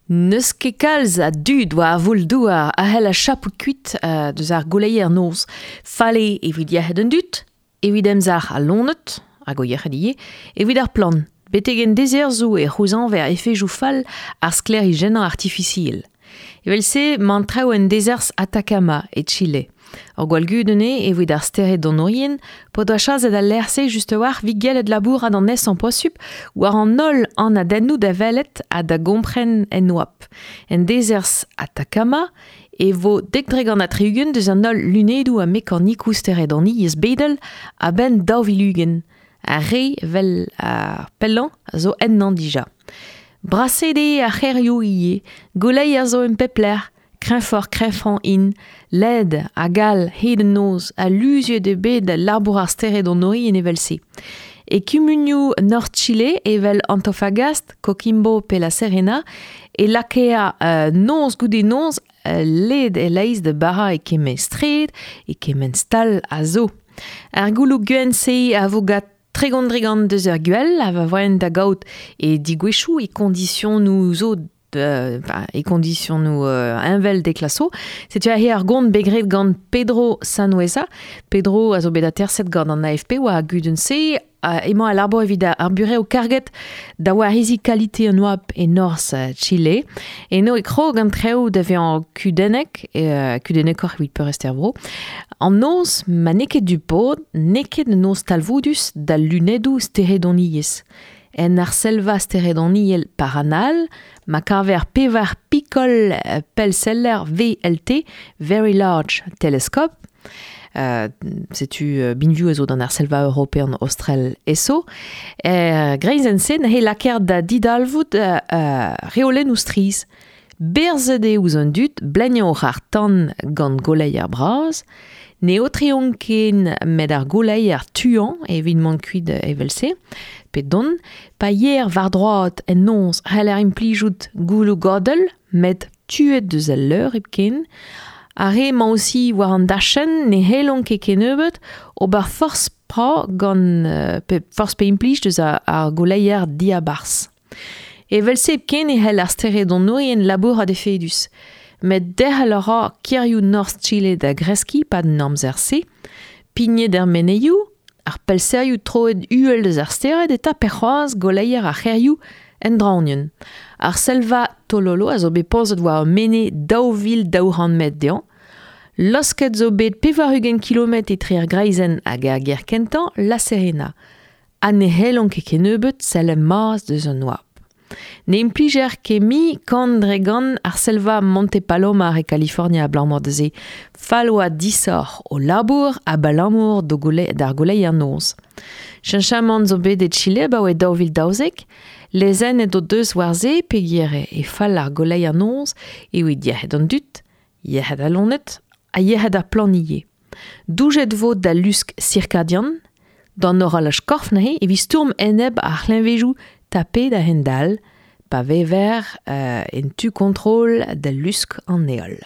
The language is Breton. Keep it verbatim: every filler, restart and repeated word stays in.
N'eus ket kalz a dud war ar voul-douar a c'hell a chapout kuit uh, deus ar gouleier noz. Fale evit yec'hed an dud, evit emzalc'h al loened, hag o yec'hed ivez, evit ar plant. Betek en dezerzhoù e c'houzañver efejoù fall ar sklêrijennañ artifisiel. Evel-se 'mañ traoù en dezerzh Atacama e Chile. Ur gwall gudenn eo evit ar steredonourien p'o doa chaset al lec'h-se just a-walc'h evit gellet labourat an aesañ posupl war an holl anadennoù da welet ha da gompren en oabl. En dezerzh Atacama e vo dek dre gant ha tri-ugent deus an holl lunedoù ha mekanikoù steredoniezh bedel a-benn daou vil ugent. Ar re 'vel ar pellañ a zo ennañ dija. Braset eo ar c'hêrioù ivez, gouleier zo en pep lec'h, kreñvoc'h kreñvañ int, led hag all hed an noz ha luziet eo bet labour ar steredonourien evel-se. E kumunioù Nord Chile evel Antofagasta, Coquimbo pe La Serena e lakaer uh, noz goude noz uh, led e-leizh da barañ e kement straed, e kement stal a zo. Ar gouloù gwenn-se a vo gant tregont dre gant deus ar gwell a va voen da gaout e digouezhioù e kondisionoù zo de, enfin, e kondisionoù euh, heñvel d'e klaso. Setu aze ar gont bet graet gant Pedro Sanhueza. Pedro a zo bet aterset gant an A F P war ar gudenn-se. Uh, emañ al labour evit ar burev karget da wariziñ kalite an oabl e norzh Chile. Eno e krog an traoù da vezañ kudennek, uh, kudennekoc'h evit peurrest er vro. An noz, ma n'eo ket du pod, n'eo ket un noz talvoudus da lunedoù steredoniezh. En ar selva steredoniel Paranal, ma kaver pevar pikol pellseller V L T, Very Large Telescope, Uh, setu uh, binvioù a zo d'an ar selva european austral eso. Er greizenn-se n'he lakaer da didalvoud uh, uh, reolennoù strizh. Berzet eo ouzh an dud bleniañ oc'h ar tan gant goleier bras. Ne aotreont ken met ar goleier tuañ evit mont kuit evel-se. Pe don, pa yer war droad en noz c'heller implijout gouloù godell, met tuet deus al leur hepken. Ar re emañ aussi war an dachenn ne c'hellont ket kennebeut ober forzh pra gant euh, pe forzh pe implij deus ar, ar goleier diabarzh. Evel-se hepken e c'hell ar steredonourien labourat efedus. Met derc'hel a ra kêrioù Norzh Chile da greskiñ pad an amzer-se, pignet er menezioù, ar pellserioù troet uhel deus ar stered eta pe c'hoazh goleier ar c'hêrioù en draoñienn. Ar selva Tololo a zo bet pozet war ur menez daou vil daou c'hant metr dezhañ. Losket zo bet pevar-ugent kilometr etre ar greizenn hag ar gêr kentañ, La Serena. Ha ne c'hellont ket kennebeut sell maz deus an oabl. Ne implijer ket mui kant dre gant ar selva Monte Palomar e California abalamour da se fall oa disoc'h o labour abalamour d'o gole, d'ar goleier noz. Cheñchamant zo bet e Chile abaoe daou vil daouzek, lezennet o deus war se peogwir e fall ar goleier noz evit yec'hed an dud, yec'hed al loened ha yec'hed ar plant ivez. Doujet vo da lusk circadian, d'an horolaj korf neuze evit stourm enep ar c'hleñvedoù tapet a-hend-all, pa vever euh, en tu kontrol da lusk an heol.